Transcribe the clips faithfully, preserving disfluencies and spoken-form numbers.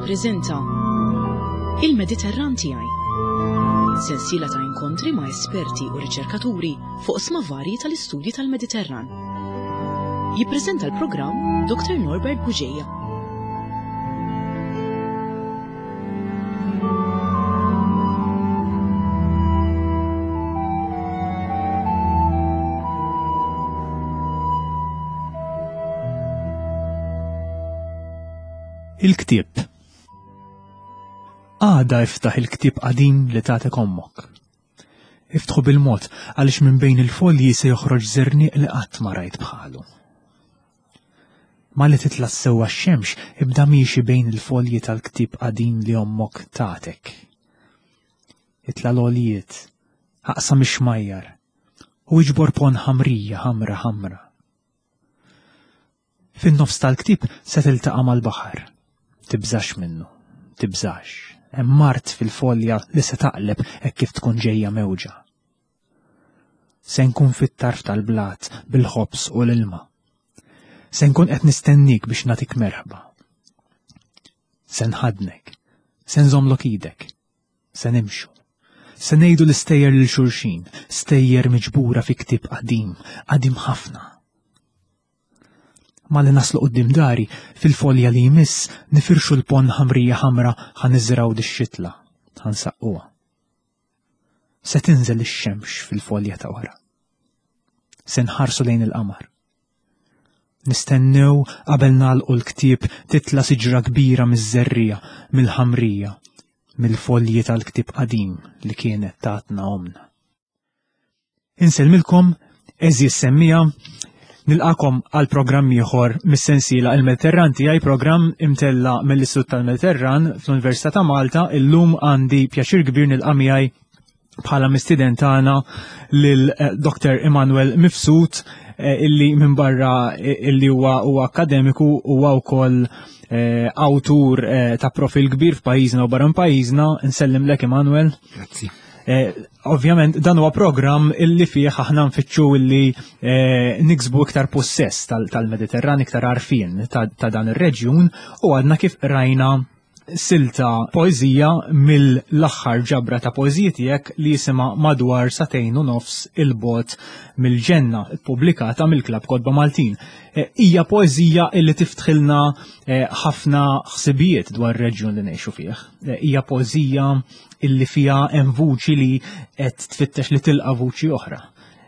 Tippreżenta Il-Mediterran tiegħi. Sensiela ta' inkontri ma' esperti u riċerkaturi fuq oqsma varji tal-istudji tal-Mediterran. Jippreżenta l-programm Dr. Norbert Bugeja. Il-ktieb. Għada iftaħ il-ktieb qadim li tagħtek ommok. Iftħu bil-mod għaliex minn bejn il-folji se joħroġ żerniq li qatt ma rajt bħalu. Malli titla' sewwa x-xemx ibda miexi bejn il-folji tal-ktieb qadim li ommok tagħtek. Itla' l-għoljiet, aqsam ix-xmajjar u iġbor pon ħamrija ħamra ħamra. Fin-nofs tal-ktieb se tiltaqa' mal-baħar. Tibżax minnu, tibżax. Hemm mart fil-folja li se taqleb hekk kif tkun ġejja mewġa. Se nkun fit-tarf tal-blat bil-ħobż u l-ilma. Se nkun qed nistennik biex nagħtik merħba. Se nħadnek, se nżommlok idek, se nimxu. Se ngħidu l-istejjer lil xulxin, stejjer miġbura fi ktieb qadim, qadim ħafna. Malli naslu quddiem dari, fil-folja li jmiss, nifirxu l-pon ħamrija ħamra ħa niżraw dix-xitla, ħa nsaqquha. Se tinżel ix-xemx fil-folja ta' wara. Se nħarsu lejn il-qamar. Nistennew qabel nagħlqu l-ktieb titla' siġra kbira miż-żerriegħa, mill-ħamrija, mill-folji tal-ktieb qadim li kienet tatna omna. Insellmilkom, għeżież semmiegħa, nilqakom għal programm ieħor mis-sensiela Il-Mediterran tiegħi, programm imtella mill-Istitut tal-Mediterran fl-Università ta' Malta. Illum għandi pjaċir kbir nilqa' miegħi bħala mistieden tagħna lil, eh, Doktor Immanuel Mifsud, eh, illi minn barra, eh, illi huwa, huwa akademiku huwa wkoll, eh, awtur, eh, ta' profil kbir f'pajjiżna u barra minn pajjiżna. Nsellimlek Immanuel. Grazzi. Eh, ovvjament dan huwa programm illi fih aħna nfittxu illi, eh, niksbu iktar possess tal-, tal-Mediterran, iktar għarfien ta', ta' dan ir-reġjun, u għadna kif rajna silta poeżija mill-aħħar ġabra ta' poeżiji tiegħek li jisimha Madwar Sagħtejn u Nofs il-Bogħod mill-Ġenna, ippubblikata mill-Klabb Kotba Maltin. Eh, hija poeżija illi tiftħilna, eh, ħafna ħsibijiet dwar ir-reġjun li ngħixu fih. Eh, hija poeżija illi fiha hemm vuċi li qed tfittex li tilqa' vuċi oħra.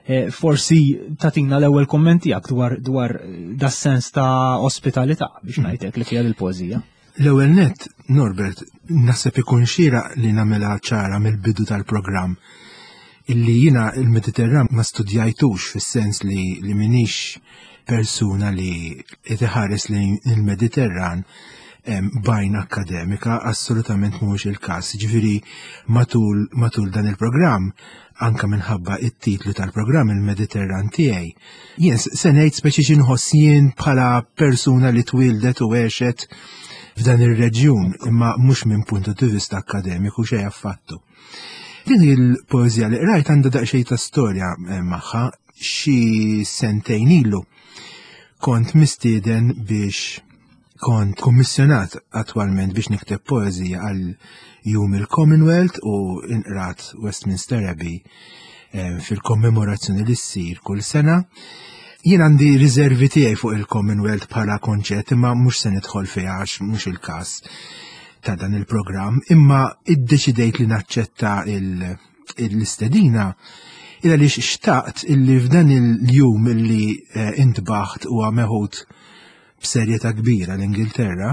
Eh, forsi tatina l-ewwel kumment tiegħek dwar, dwar das-sens ta' ospitalità biex ngħidlek li fiha l-poeżija. L-ewwel nett, Norbert, naħseb ikun xieraq li nagħmilha ċara mill-bidu tal-programm illi jiena il-Mediterran ma studjajtux fis-sens li, li minix persuna li qed iħares lejn il-Mediterran, em, bajn akademika, assolutament mhuwiex il-każ. Ġifieri matul, matul dan il-programm, anka minħabba it-titlu tal-programm il-Mediterran tiegħi, jien s-, se ngħid speċi xi nħoss jien bħala persuna li twildet u għexet f'dan ir-reġjun, imma mhux minn puntu di vista akademiku xejn affattu. Din il-poeżija li qrajt għandha daqsxejn ta' storja, eh, magħha. Xi sentejn ilu kont mistieden biex kont kummissjonat attwalment biex nikteb poeżija għal Jum il-Commonwealth u inqrat Westminster Abbey, eh, fil-kommemorazzjoni li ssir kull sena. Jien għandi riservi tiegħi fuq il-Commonwealth bħala konċett, imma mhux se nidħol fiha għax mhux il-każ ta' dan il-programm, imma iddeċidejt li naċċetta il-, l-istedina il għaliex xtaqt illi f'dan il-jum illi, eh, intbaħt huwa meħud b'serjetà kbira l-Ingilterra,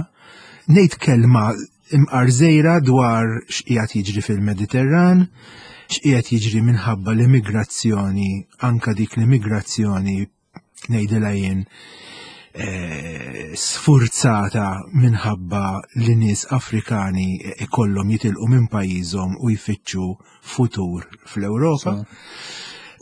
ngħid kelma imqar żgħira dwar x'qiegħed jiġri fil-Mediterran, x'qiegħed jiġri minħabba l-immigrazzjoni, anka dik l-immigrazzjoni ngħidilha jien, eh, sfurzata minħabba li nies Afrikani ikollhom jitilqu minn pajjiżhom u jfittxu futur fl-Ewropa. So.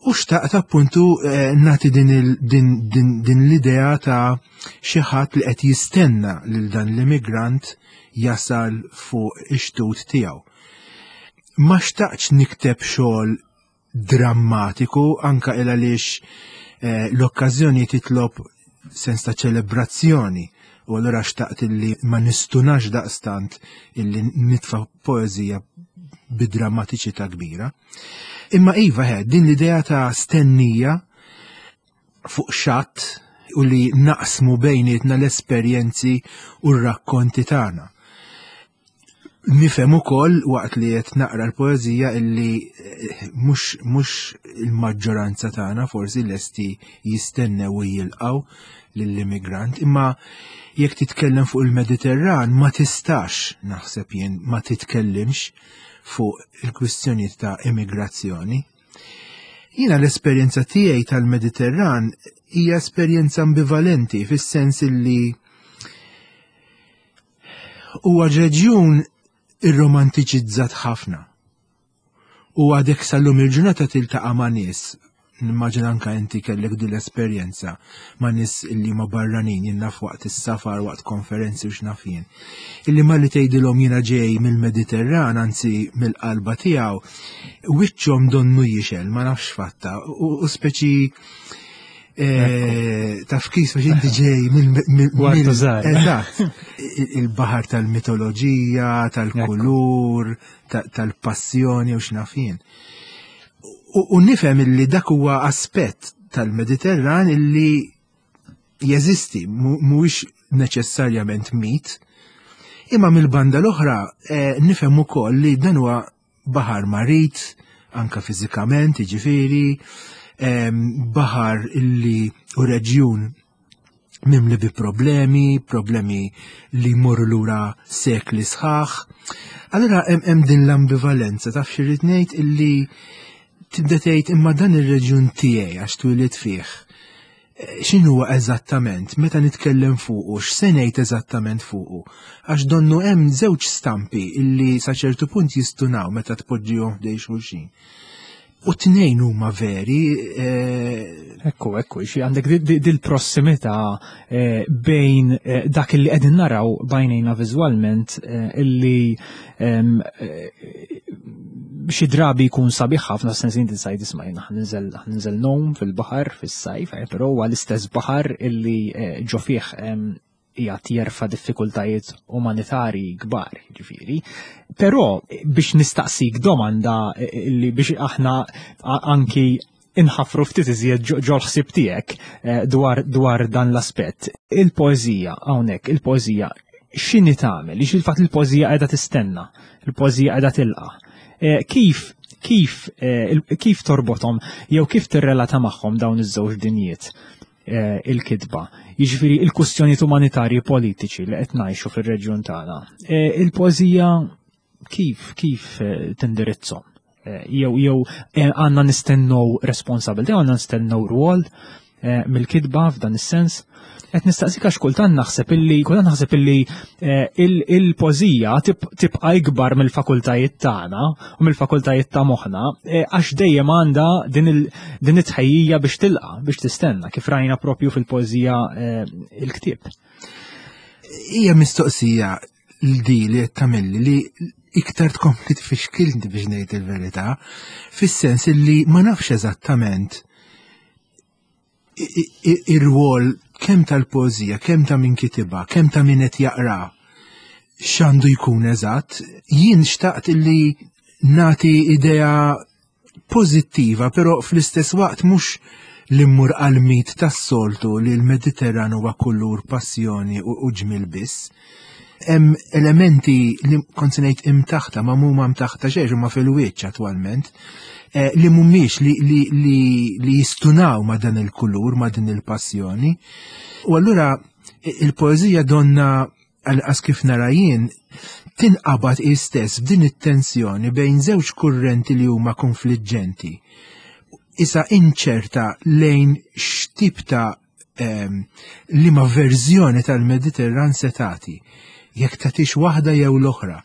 U xtaqt appuntu, eh, nagħti din il-, din, din, din l-idea ta' xi ħadd li qed jistenna lil dan l-immigrant jasal fuq ix-xtut tiegħu. Ma xtaqtx nikteb xogħol drammatiku anka il għaliex, eh, l-okkażjoni titlob sens ta' ċelebrazzjoni U allura xtaqt illi ma nistunax daqstant illi nitfa' poeżija bidrammatiċità kbira. Imma iva he, din l-idea ta' stennija fuq xatt u li naqsmu bejnietna l-esperjenzi u r-rakkonti tagħna. Nifhem ukoll waqt li qed naqra l-poeżija illi eh, mhux mhux il-maġġoranza tagħna forsi lesti jistennew u jilqgħu lill-immigrant, imma jekk titkellem fuq il-Mediterran ma tistax, naħseb jien, ma titkellimx fuq il-kwistjonijiet ta' immigrazzjoni. Jiena l-esperjenza tiegħi tal-Mediterran hija esperjenza ambivalenti fis-sens illi huwa reġjun irromantiċizzat ħafna. U għadek sal-lum il-ġurnata tiltaqa' ma' nies, nimmaġina anka inti kellek din l-esperjenza ma' nies illi ma barranin, jien naf waqt is-safar, waqt konferenzi u x'naf jien. Illi malli tgħidilhom jiena ġej mill-Mediterran, anzi mill-qalba tiegħu, wiċċhom donnu jixel, ma nafx fatta, u, u speċi eh, taf kif biex inti ġej mill Kwartu żgħar. Eżatt. Il-baħar tal-mitoloġija, tal-kulur, ta- tal-passjoni u x'naf jien. U, u nifhem illi dak huwa aspett tal-Mediterran illi jeżisti, mu- mhuwiex neċessarjament mit. Imma mill-banda l-oħra eh, nifhem ukoll li dan huwa baħar marid, anka fiżikament, jiġifieri, em, baħar illi u reġjun mimli bi problemi, problemi li jmorru lura sekli sħaħ. Allura hemm hemm din l-ambivalenza, taf xi rrid ngħid, illi tibda tgħid imma dan ir-reġjun tiegħi għax twilidt fih. Eh, X'inhuwa eżattament meta nitkellem fuqu, x'se ngħid eżattament fuqu? Għax donnu hemm żewġ stampi illi sa ċertu punt jistunaw meta tpoġġihom ħdejn xulxin. U tnejn huma veri, eh, Ekku, ekku, xi għandek di- di- dil-prossimità eh, bejn eh, dak illi qegħdin naraw b'għajnejna viżwalment eh, illi em, eh, xi drabi jkun sabiħ ħafna, sens inti sajd isma' jiena ħa ninżel ħa ninżel ngħum fil-baħar fis-sajf, eh, però huwa l-istess baħar illi eh, ġo fih em, qiegħed jerfa' diffikultajiet umanitarji kbar, ġifieri. Però biex nistaqsik domanda eh, illi biex aħna a- anki inħafru ftit iżjed ġo ġol-ħsieb tiegħek eh, dwar dwar dan l-aspett. Il-poeżija hawnhekk, il-poeżija x'inhi tagħmel? Ix il-fatt il-poeżija qiegħda tistenna, il-poeżija qiegħda tilqa'. Eh, Kif kif eh, il- kif torbothom jew kif tirrelata magħhom dawn iż-żewġ dinjiet eh, il-kitba? Jiġifieri il-kwistjonijiet umanitarji politiċi li qed ngħixu fir-reġjun tagħna. Eh, Il-poeżija kif kif eh, tindirizzhom? Eh, Jew jew eh, għandna nistennew responsabilità, għandna nistennew rwol eh, mill-kitba f'dan is-sens. Qed nistaqsik għax kultant naħseb illi kultant naħseb illi eh, il- il-poeżija tib- tibqa' ikbar mill-fakultajiet tagħna u mill-fakultajiet ta' moħħna eh, għax dejjem għandha din il- din it-tħejjija biex tilqa' biex tistenna kif rajna propju fil-poeżija eh, il-ktieb. Hija mistoqsija l-di li qed tagħmilli li iktar tkompli tfixkilni biex ngħid il-verità, fis-sens illi ma nafx eżattament i- i- ir-rwol kemm tal-poeżija, kemm ta' min kitibha, kemm ta' min qed jaqra, x'għandu jkun eżatt. Jien xtaqt illi nagħti idea pożittiva, però fl-istess waqt mhux li mmur għal-mit tas-soltu li l-Mediterran huwa kulur, passjoni u, u ġmil biss. Hemm elementi li kont se ngħid imtaħta, ma mhuma mtaħta xejn, huma fil-wiċċ attwalment, eh, li mhumiex li, li, li, li jistunaw ma' dan il-kulur, ma' din il-passjoni. U allura il-poeżija donna għal kif nara jien tinqabad istess b'din it-tensjoni bejn żewġ kurrenti li huma konfliġġenti. Isa inċerta lejn x'tip ta' em, liema verżjoni tal-Mediterran se tagħti. Jekk tagħtix waħda jew l-oħra,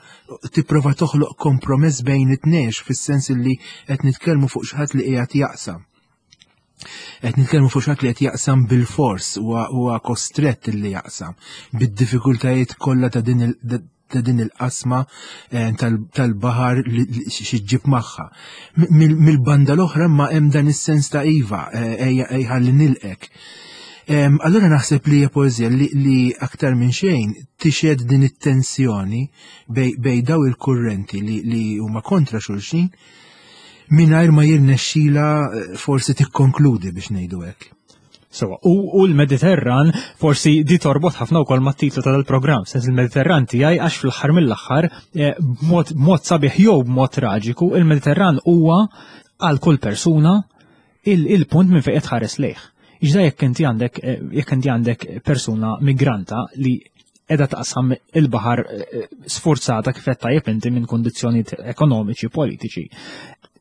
tipprova toħloq kompromess bejn it-tnejn fis-sens li qed nitkellmu fuq xi ħadd li qiegħed jaqsam. Qed nitkellmu fuq xi ħadd li qed jaqsam bil-fors, huwa huwa kostrett li jaqsam bid-diffikultajiet kollha ta' din il- ta' din il-qasma eh, tal- tal-baħar li li xi ġġib magħha. Mill-banda l-oħra ma hemm dan is-sens ta' iva, eh, ejja ejja ħalli nilqek. Allura naħseb li hija poeżija li, li aktar minn xejn tixhed din it-tensjoni bej, bej daw il-kurrenti li, li huma kontra xulxin mingħajr ma jirnexxila eh, forsi tikkonkludi, biex ngħidu hekk. So, u, u l-Mediterran forsi di torbot ħafna wkoll mat-titlu ta' dal-programm, sens il-Mediterran tiegħi, għax fl-aħħar mill-aħħar, eh, b'mod b'mod sabiħ jew b'mod traġiku, il-Mediterran huwa għal kull persuna il-punt minn fejn qed tħares lejh. Iġda jekk inti għandek eh, jekk inti għandek persuna migranta li edha taqsam il-baħar eh, sforzata, kif qed tajjeb inti, minn kondizzjonijiet ekonomiċi, politiċi,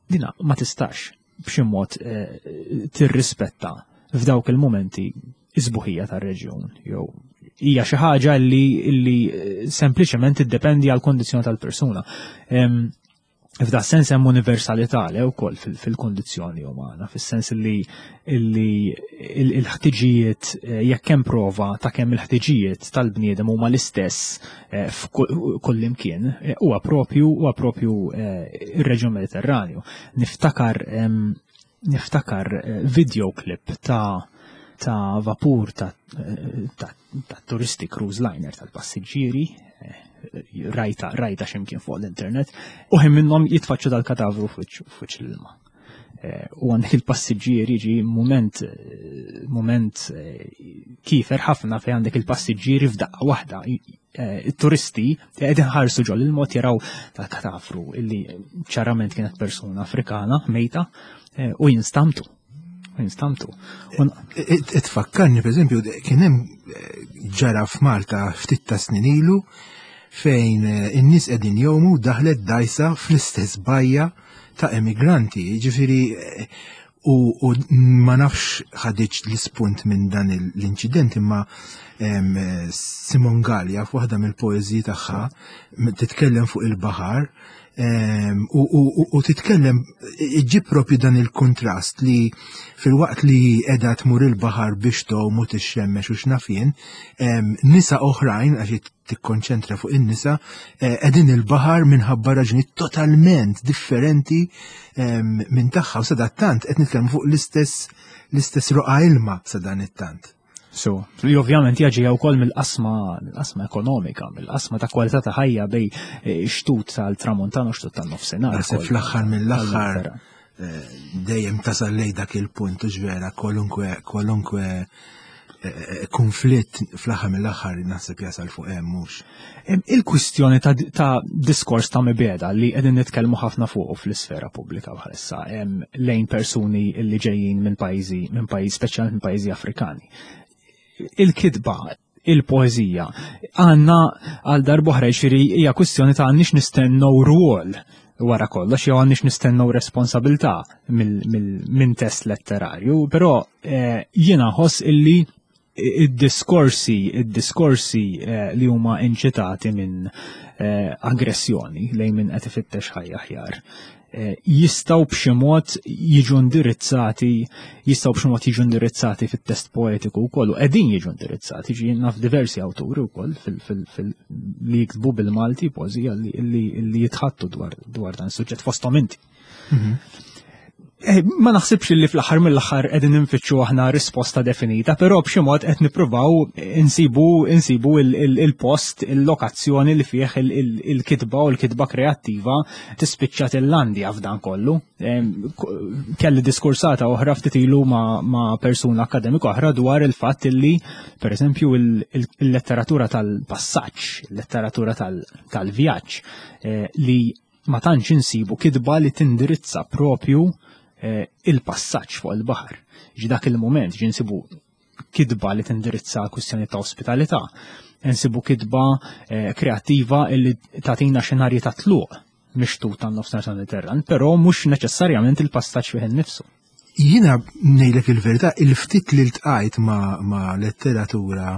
dina ma tistax b'xi mod eh, tirrispetta f'dawk il-momenti is-sbuħija tar-reġjun jew hija xi ħaġa li, li sempliċement tiddependi għal kondizzjoni tal-persuna. Em, F'da sens hemm universalità le wkoll fil-kondizzjoni umana, fis-sens li li il-ħtiġijiet, eh, jekk hemm prova ta' kemm il-ħtiġijiet tal-bniedem huma l-istess eh, f'kull imkien, eh, huwa propju huwa propju ir-reġjun Mediterranju. Niftakar niftakar videoclip ta' ta' vapur ta', ta, ta turisti, cruise liner tal-passiġġieri, rajta rajta x'imkien fuq l-internet, u ħin minnhom jitfaċċu dal-katavru fuq l-ilma. Eh, u għandek il-passiġġieri, ġi moment moment eh, kifer ħafna fej għandek il-passiġġieri f'daqqa waħda, eh, il-turisti qegħdin ħarsu ġol il-mod, jaraw tal-katavru illi ċarament kienet persuna Afrikana mejta u jinstamtu. Jinstamtu. Tfakkarni, per eżempju, kien hemm ġara f'Malta ftit ta' snin ilu fejn in-nies qegħdin jgħumu, daħlet dajsa fl-istess bajja ta' emigranti, ġifieri u, u ma nafx ħadiċ l-ispunt minn dan l-inċident, imma Simone Galea f'waħda mill-poeżiji tagħha titkellem fuq il-baħar u, u, u titkellem, iġib propju dan il-kontrast li fil-waqt li edha tmur il-baħar biex tgħum u tixxemmex u x'naf jien, nisa oħrajn, għax tikkonċentra fuq in-nisa, eh, qegħdin il-baħar minħabba raġuni totalment differenti minn tagħha, u sadattant qed nitkellmu fuq l-istess l-istess roqa ilma sadan it-tant. So, li ovvjament jaġi wkoll mill-qasma mill-qasma ekonomika, mill-qasma ta' kwalità ta' ħajja bej eh, xtut tal-Tramuntana u xtut tan-Nofsinhar. Naħseb fl-aħħar mill-aħħar eh, dejjem tasal lej dak il-punt u ġvera kwalunkwe kwalunkwe eh, konflitt fl-aħħar mill-aħħar naħseb jasal fuq hemm, mhux. Il-kwistjoni ta', ta diskors ta' mibeda li qegħdin nitkellmu ħafna fuq fl-isfera pubblika bħalissa lejn persuni li ġejjin minn pajjiżi minn pajjiż, speċjalment minn pajjiżi Afrikani. Il-kitba, il-poeżija, għandna għal darb'oħra, ġifieri hija kwistjoni ta' għandniex nistennew rwol wara kollox jew għandniex nistennew responsabilità minn test letterarju, però eh, jiena ħoss illi id-diskorsi, id-diskorsi eh, li huma inċitati minn eh, aggressjoni lejn min qed ifittex ħajja aħjar jistgħu b'xi mod jiġu indirizzati jistgħu b'xi mod jiġu indirizzati fit-test poetiku wkoll u qegħdin jiġu indirizzati. Ġi naf diversi awturi wkoll li jiktbu bil-Malti poeżija li jitħattu dwar dwar dan is-suġġett, fosthom inti. Mhm. Eh, ma naħsibx li fl-aħħar mill-aħħar qegħdin infittxu aħna risposta definita, però b'xi mod qed nippruvaw insibu insibu il-post, il-lokazzjoni li fih il-kitba u l-kitba kreattiva tispiċċa tillandja f'dan kollu. Kelli diskursata oħra ftit ilu ma' persuna akademika oħra dwar il-fatt li, pereżempju, il-letteratura tal-passaġġ, il-letteratura tal-vjaġġ, eh, li ma tantx insibu kitba li tindirizza propju eh, il-passaġġ fuq il-baħar. Ġi dak il-moment ġi nsibu kitba li tindirizza kwistjoni ta' ospitalità, nsibu kitba eh, kreattiva illi tagħtina xenarji ta' tluq mixtut tan-nofsinhar tal-Mediterran, però mhux neċessarjament il-passaġġ fih innifsu. Jiena ngħidlek il-verità, il-ftit li ltqajt ma', ma letteratura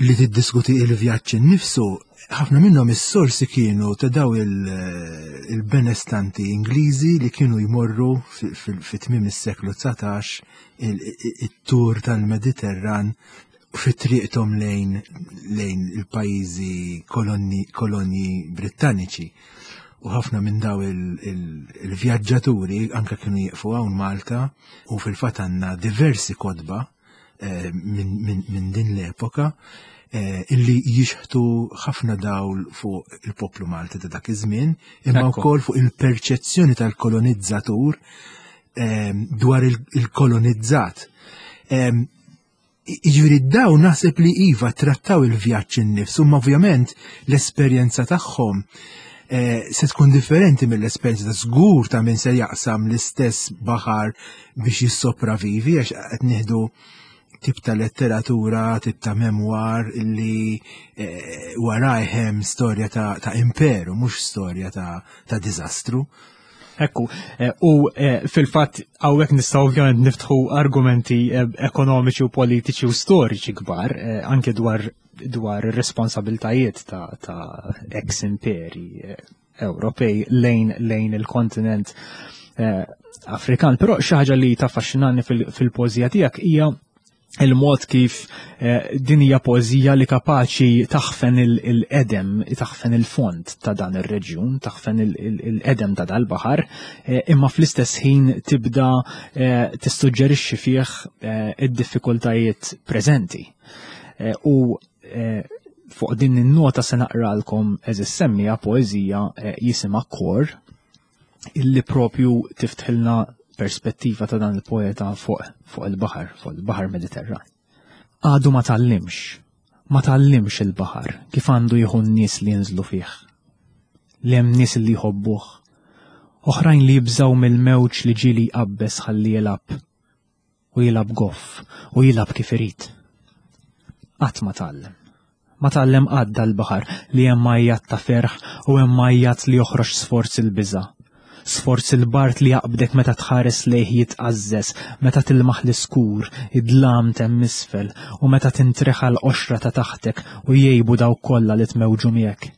li tiddiskuti il-vjaġġ innifsu, ħafna minnhom is-sorsi kienu ta' daw il-benestanti Ingliżi li kienu jmorru fi tmiem is-seklu dsatax it-tur tal-Mediterran fi triqthom lejn lejn il-pajjiżi kolonni kolonji Brittaniċi. U ħafna minn daw il-vjaġġaturi anka kienu jieqfu hawn Malta u fil-fatt għandna diversi kotba. eh, minn min, min din l-epoka eh, illi jixħtu ħafna dawl fuq il-poplu Malti ta' dak iż-żmien, imma Ekku. wkoll fuq il-perċezzjoni tal-kolonizzatur eh, dwar il- il-kolonizzat. Em, Jiġifieri dawn naħseb li iva trattaw il-vjaġġ innifsu, imma ovvjament l-esperjenza tagħhom eh, se tkun differenti mill-esperjenza ta' żgur ta' min se jaqsam l-istess baħar biex jissopravivi, għax qed nieħdu tip ta' letteratura, tip ta' memoir illi eh, warajh hemm storja ta', ta' imperu, mhux storja ta', ta' diżastru. Ekku, eh, u eh, fil-fatt hawnhekk nistgħu ovvjament niftħu argumenti eh, ekonomiċi u politiċi u storiċi kbar, eh, anke dwar dwar ir-responsabiltajiet ta', ta' ex imperi eh, Ewropej lejn lejn il-kontinent eh, Afrikan. Però xi ħaġa li taffaxxinani fil- fil-poeżija tiegħek hija il-mod kif eh, din hija poeżija li kapaċi taħfen il-qedem, taħfen il-fond ta' dan ir-reġjun, taħfen il-qedem ta' dal-baħar, eh, imma fl-istess ħin tibda eh, tissuġġerixxi fih eh, id-diffikultajiet preżenti. Eh, u eh, fuq din in-nota se naqralkom, għeżież semmiegħa, poeżija eh, jisimha Kor, illi propju tiftħilna perspettiva ta' dan il-poeta fuq fuq il-baħar, fuq il-baħar Mediterran. Għadu ma tgħallimx, ma tgħallimx il-baħar kif għandu jieħu n-nies li jinżlu fih. Li hemm nies li jħobbuh, oħrajn li jibżaw mill-mewġ li ġieli jqabbeż ħalli jilgħab, u jilgħab goff, u jilgħab kif irid. Qatt ma tgħallem. Ma tgħallem qatt dal-baħar li hemm għajjat ta' ferħ u hemm għajjat li joħroġ sforz il-biża'. Sforz il-bard li jaqbdek meta tħares lejh jitqażżeż, meta tilmaħ l-iskur, id-dlam t'hemm isfel, u meta tintreħa l-qoxra ta' taħtek u jgħibu dawk kollha li tmewġu miegħek.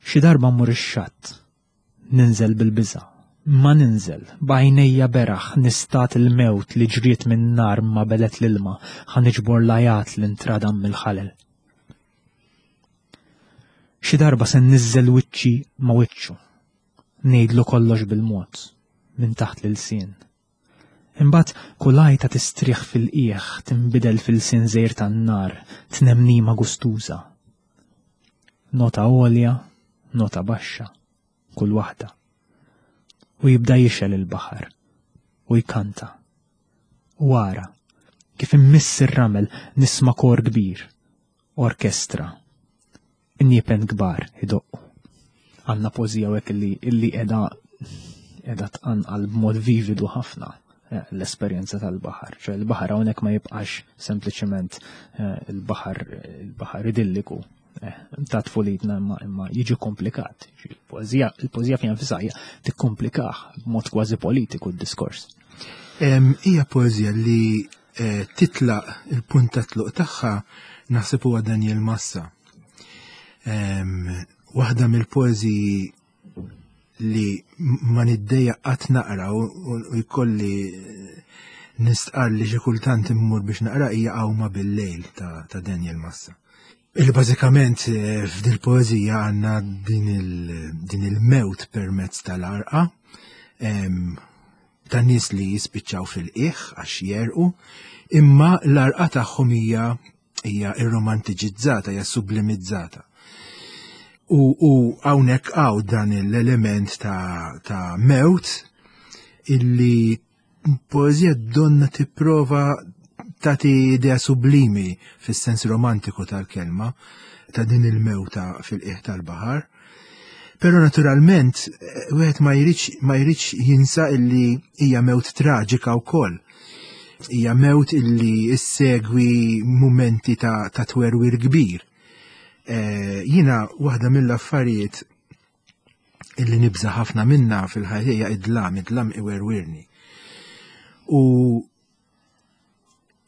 Xi darba mmur ix-xatt, ninżel bil-biża', ma ninżel, b'għajnejja beraħ nistad il-mewt li ġriet minn nar ma belet l-ilma, ħa niġbor l-għajat li ntradam mill-ħalel. Xi darba se nniżżel wiċċi ma' wiċċu, ngħidlu kollox bil-mod, minn taħt l-ilsien. Imbagħad kull għajta tistrieħ fil-qiegħ, tinbidel f'ilsien żgħir tan-nar, tnemnima gustuża. Nota għolja, nota baxxa, kull waħda. U jibda jixgħel il-baħar, u jkanta. U ara, kif immiss ir-ramel nisma' kor kbir, orkestra, injipen kbar idoqqu. Għandna poeżija hekk illi illi qiegħda qiegħda tqanqal b'mod vividu ħafna eh, l-esperjenza tal-baħar. ċe il-baħar hawnhekk ma jibqax sempliċement eh, il-baħar il-baħar idilliku eh, ta' tfulitna, imma imma jiġi komplikat. Il-poeżija il-poeżija fiha nfisha hija tikkomplikah b'mod kważi politiku d-diskors. Em, Hija poeżija li eh, titlaq, il-punt ta' tluq tagħha naħseb huwa Daniel Massa. Em, Waħda mill-poeżiji li ma niddejjaq qatt naqra u u- u jkolli eh, nistqar li xi kultant immur biex naqra hija Għawma bil-lejl ta', ta' Daniel Massa. Illi bażikament eh, f'dil poeżija għandna din il- din il-mewt permezz tal-għarqa em, ta' nies li jispiċċaw fil-qiegħ għax jegħrqu, imma l-għarqa tagħhom hija hija irromantiċizzata, hija sublimizzata. U, u hawnhekk hawn dan l-element ta', ta' mewt illi poeżija donna tipprova tagħti idea sublimi fis-sens romantiku tal-kelma ta' din il-mewta fil-qiegħ tal-baħar. Però naturalment eh, wieħed ma jridx ma jridx jinsa illi hija mewt traġika wkoll. Hija mewt illi issegwi mumenti ta', ta' twerwir kbir. Eh, Jiena waħda mill-affarijiet illi nibża ħafna minna fil-ħajja hija id-dlam, id-dlam iwerwirni. U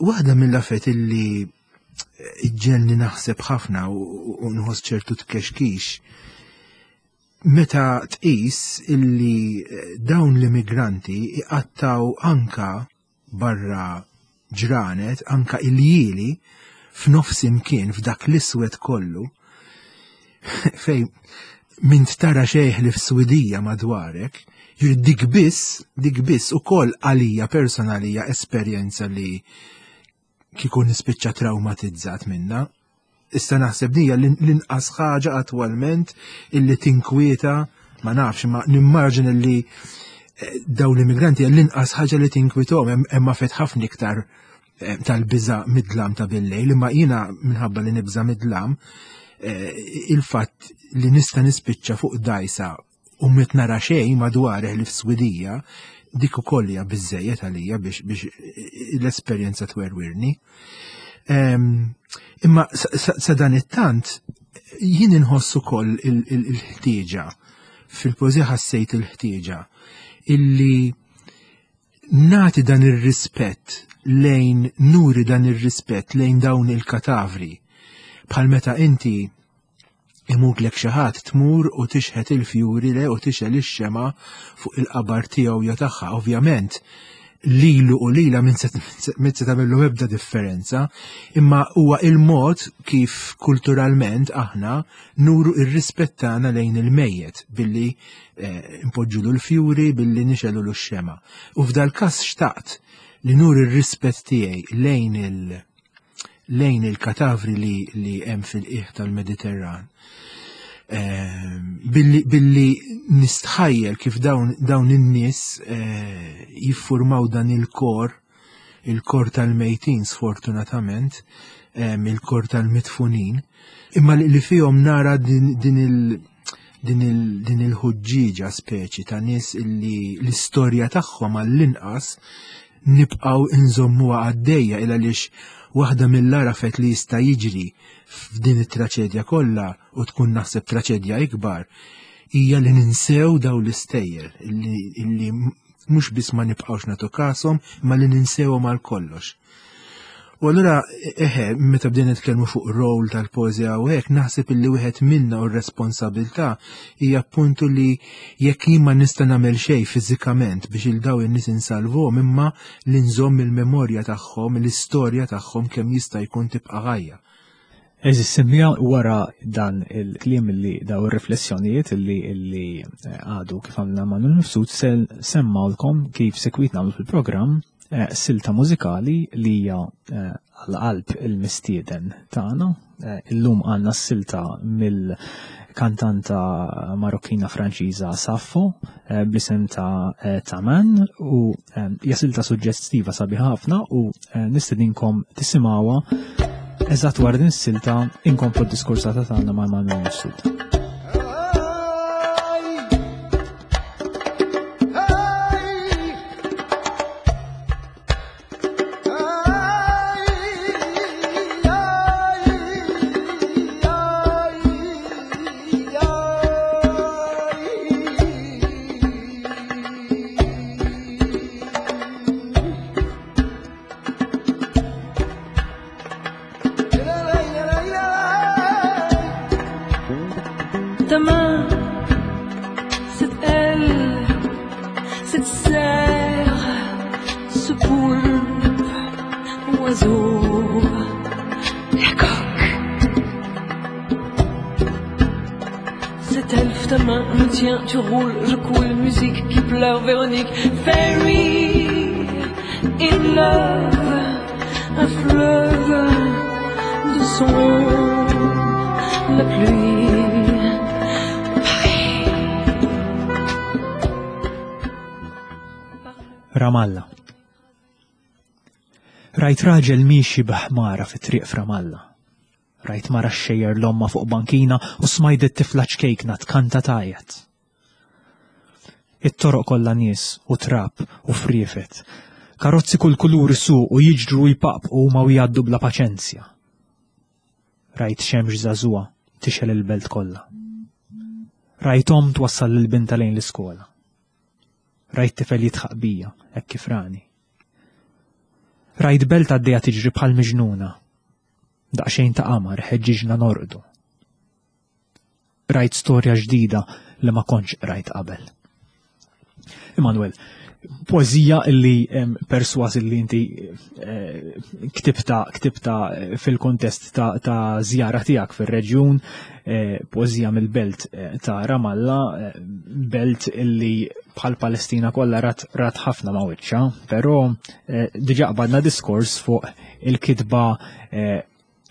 waħda mill-affarijiet illi iġġegħelni naħseb ħafna u u nħoss ċertu tkexkix meta tqis illi eh, dawn l-immigranti iqattaw anka barra ġranet, anka iljieli f'nofs imkien f'dak l-iswed kollu fej m'int tara xejn ħlief swidija madwarek, Jiġifieri dik biss, dik biss ukoll għalija personalija esperjenza li kieku nispiċċa traumatizzat minna. Issa naħseb dija l-inqas ħaġa attwalment illi tinkwieta, ma nafx, ma nimmaġin illi eh, dawn l-immigranti l-inqas ħaġa li tinkwitahom, hemm fet ħafna iktar eh, tal-biża mid-dlam ta' billejl, imma jiena minħabba li nibża mid-dlam, eh, il-fatt li nista' nispiċċa fuq dajsa u mit nara xejn madwar li f'Swidija, dik ukoll hija biżejjed għalija biex, biex l-esperjenza twerwirni. Em, imma sa, sa, sa dan it-tant jien inħoss ukoll il-ħtieġa, fil-poeżija ħassejt il-ħtieġa illi nagħti dan ir-rispett lejn, nuri dan ir-rispett lejn dawn il-katavri. Bħal meta inti imutlek xi ħadd tmur u tixħet il-fjuri le u tixgħel ix-xemgħa fuq il-qabar tiegħu jew tagħha. Ovvjament lilu u lila min se min se tagħmillu ebda differenza, imma huwa il-mod kif kulturalment aħna nuru ir-rispett tagħna lejn il-mejjet billi, eh, npoġġulu l-fjuri, billi nixegħlu x-xemgħa. U f'dal każ xtaqt li nuri r-rispett tiegħi lejn il- lejn il-katavri li, li hemm fil-qiegħ tal-Mediterran. Ehm, billi, billi nistħajjel kif dawn, dawn in-nies, eh, jiffurmaw dan il-kor, il-kor tal-mejtin sfortunatament, ehm, il-kor tal-mitfunin, imma li, li fihom nara din, din il-, din il-, din il-ħuġġieġa speċi ta' nies illi l-istorja tagħhom għall-inqas nibqgħu inżommuha għaddejja, il għaliex waħda mill-arafet li jista' jiġri f'din it-traċedja kollha u tkun naħseb traċedja ikbar hija li ninsew daw l-istejjer illi, illi mhux biss ma nibqgħux nagħtu kashom, imma li ninsewhom għal kollox. U allura, eħe, meta bdejna nitkellmu fuq rol tal-poeżija u hekk, naħseb illi wieħed minna u r-responsabilità hija appuntu li jekk jien ma nista' nagħmel xejn fiżikament biex il daw in-nies insalvuhom, imma li nżomm il-memorja tagħhom, l-istorja tagħhom kemm jista' jkun tibqa' ħajja. Eżis, semmija wara dan il-kliem li daw ir-riflessjonijiet li, li għadu kif għamilna Manuel Mifsud, se semmawlkom kif sekwit nagħmlu fil-programm, eh, silta mużikali li hija, eh, għal-qalb il-mistieden tagħna. Eh, illum għandna s-silta mill-kantanta Marokkina Franċiża Saffo, eh, bl-isem ta', eh, Taman, u, eh, hija silta suġġestiva sabiħa ħafna u, eh, nistedinkom tisimgħuha eżatt wara din is-silta inkomplu d-diskursata tagħna ma' Manuel Mifsud. Ta main, cette aile, cette serre, ce poulpe, oiseau, la coque. Cette elfe, ta main me tient, tu roules, je coule, musique qui pleure, Véronique, Fairy in love, un fleuve de son, la pluie. Ramallah. Rajt raġel miexi b'ħmara fit-triq f'Ramallah. Rajt mara xejjer l-omma fuq bankina u smajt it-tifla ċkejkna tkanta tajjat. It-toroq kollha nies u trab u friefet. Karozzi kull kulur isuq u jiġru u jpaqpqu huma u jgħaddu bla paċenzja. Rajt xemx żagħżugħa tixgħel il-belt kollha. Rajt omm twassal lil binta lejn l-iskola. Rajt tifel jidħaq bija, hekk kif rani. Rajt belt għaddejja tiġri bħal miġnuna. Daqsxejn ta' qamar ħeġġiġna norqdu. Rajt storja ġdida li ma kontx rajt qabel. Emanuel, Poeżija illi perswas illi inti eh, ktibta ktibta fil-kontest ta', ta żjara tiegħek fir-reġjun, eh, poeżija mill-belt eh, ta' Ramallah, belt illi bħal Palestina kollha rat, rat ħafna ma' wiċċha, però diġà qbadna diskors fuq il-kitba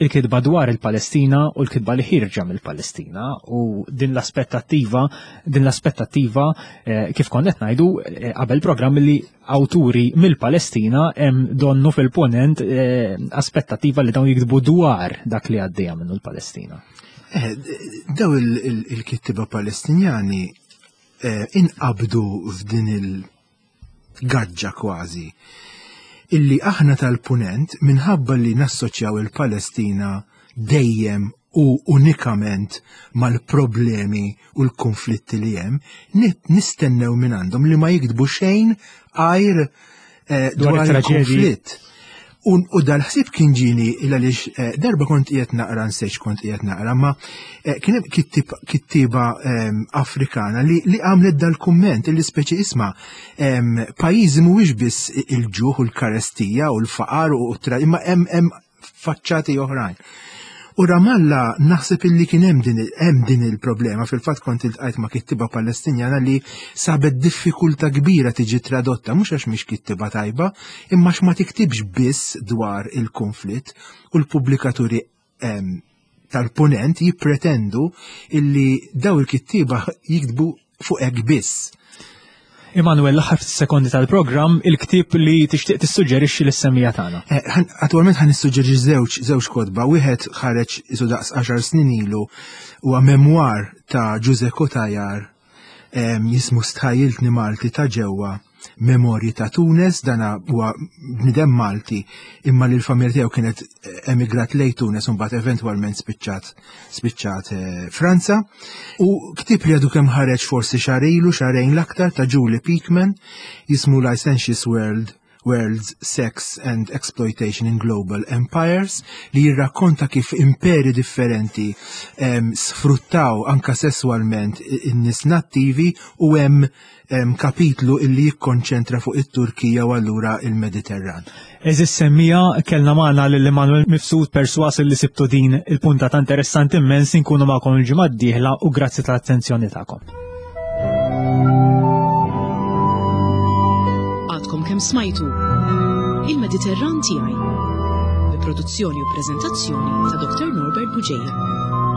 il-kitba dwar il-Palestina u l-kitba li ħirġa mill-Palestina u din l-aspettattiva, din l-aspettattiva eh, kif konna qed ngħidu eh, qabel programm li awturi mill-Palestina hemm donnu fil-ponent eh, aspettattiva li dawn jiktbu dwar dak li għaddejja minnu l-Palestina. Eh, daw il-kittiba Palestinjani eh, inqabdu f'din il-gaġġa kważi illi aħna tal-punent minħabba li nassoċjaw il-Palestina dejjem u unikament mal-problemi u l-konflitti li hemm, nistennew minn għandhom li ma jiktbu xejn għajr eh, dwar il-konflitt. U, u dal-ħsieb kien ġieni il għaliex eh, darba kont qiegħed naqra nsejx kont qiegħed naqra, ma eh, kien hemm kittiba ehm, Afrikana li, li għamlet dal-kumment li speċi isma' ehm, pajjiżi mhuwiex biss il-ġuħ u l-karestija u l-faqar u tra imma hemm hemm faċċati oħrajn. U Ramallah naħseb illi kien hemm din hemm din il-problema. Fil-fatt kont iltqajt ma' kittiba Palestinjana li sabet diffikultà kbira tiġi tradotta, mhux għax mhix kittiba tajba, imma għax ma tiktibx biss dwar il-konflitt u l-pubblikaturi tal-punent jippretendu illi daw il-kittiba jiktbu fuq hekk biss. Emanuel, l-aħħar sekondi tal-programm, il-ktieb li tixtieq tissuġġerixxi lis-semmiegħa tagħna. Eh, attualment ħan nissuġġerixxi żewġ żewġ kotba, wieħed ħareġ isu daqs għaxar snin ilu huwa memwar ta' Ġuże Cutajar jismu Stħajjiltni Malti ta' ġewwa, Memorji ta' Tunes. Dana huwa bnidem Malti imma li l-familja tiegħu kienet emigrat lejn Tunes u mbagħad eventwalment spiċċat spiċċat eh, Franza. U ktieb li għadu kemm ħareġ forsi xahar ilu, xahrejn l-aktar, ta' Julie Peakman, jismu Licentious World Worlds, Sex and Exploitation in Global Empires, li jirrakkonta kif imperi differenti em, sfruttaw anka sessualment in-nies nattivi u hemm em, kapitlu illi jikkonċentra fuq it-Turkija u allura il-Mediterran. Għeżież semmiegħa, kellna magħna lil Emanuel Mifsud. Perswas li sibtu din il-punta ta' interessanti immens. Inkunu magħkom il-ġimgħa d-dieħla u grazzi tal-attenzjoni tagħkom. Għadkom kemm smajtu Il-Mediterran tiegħi bi produzzjoni u preżentazzjoni ta' Doktor Norbert Bugeja.